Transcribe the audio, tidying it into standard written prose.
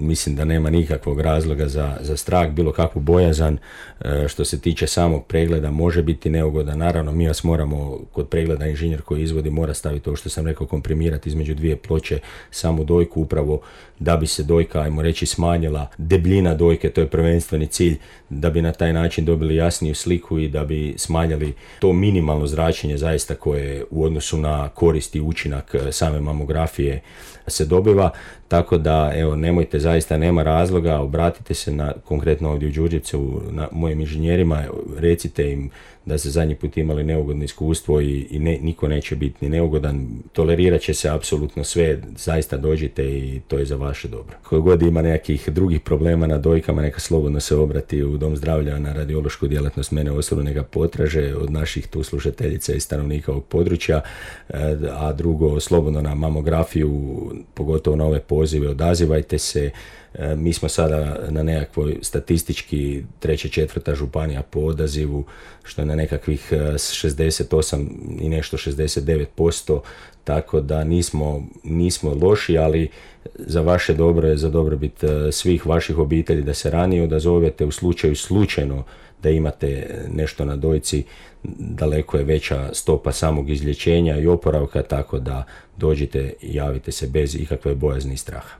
Mislim da nema nikakvog razloga za strah, bilo kakvu bojazan. Što se tiče samog pregleda, može biti neugodan. Naravno, mi vas moramo, kod pregleda inženjer koji izvodi mora staviti ovo što sam rekao, komprimirati između dvije ploče samu dojku, upravo da bi se dojka, ajmo reći, smanjila. Debljina dojke, to je prvenstveni cilj, da bi na taj način dobili jasniju sliku i da bi smanjili to minimalno zračenje zaista koje u odnosu na korist i učinak same mamografije se dobiva. Tako da, evo, nemojte, zaista nema razloga, obratite se konkretno ovdje u Đurđevcu mojim inženjerima, recite im da se zadnji put imali neugodno iskustvo i niko neće biti ni neugodan, tolerirat će se apsolutno sve, zaista dođite i to je za vaše dobro. Ko god ima nekakvih drugih problema na dojkama, neka slobodno se obrati u Dom zdravlja na radiološku djelatnost, mene osobno neka potraže od naših tu slušateljica i stanovnika ovog područja, a drugo, slobodno na mamografiju, pogotovo na ove pozive, odazivajte se. Mi smo sada na nekakvoj statistički 3. 4. županija po odazivu, što je na nekakvih 68 i nešto 69%, tako da nismo loši, ali za vaše dobro je, za dobrobit svih vaših obitelji da se ranije odazovete u slučaju slučajno da imate nešto na dojci. Daleko je veća stopa samog izlječenja i oporavka, tako da dođite i javite se bez ikakve bojazni i straha.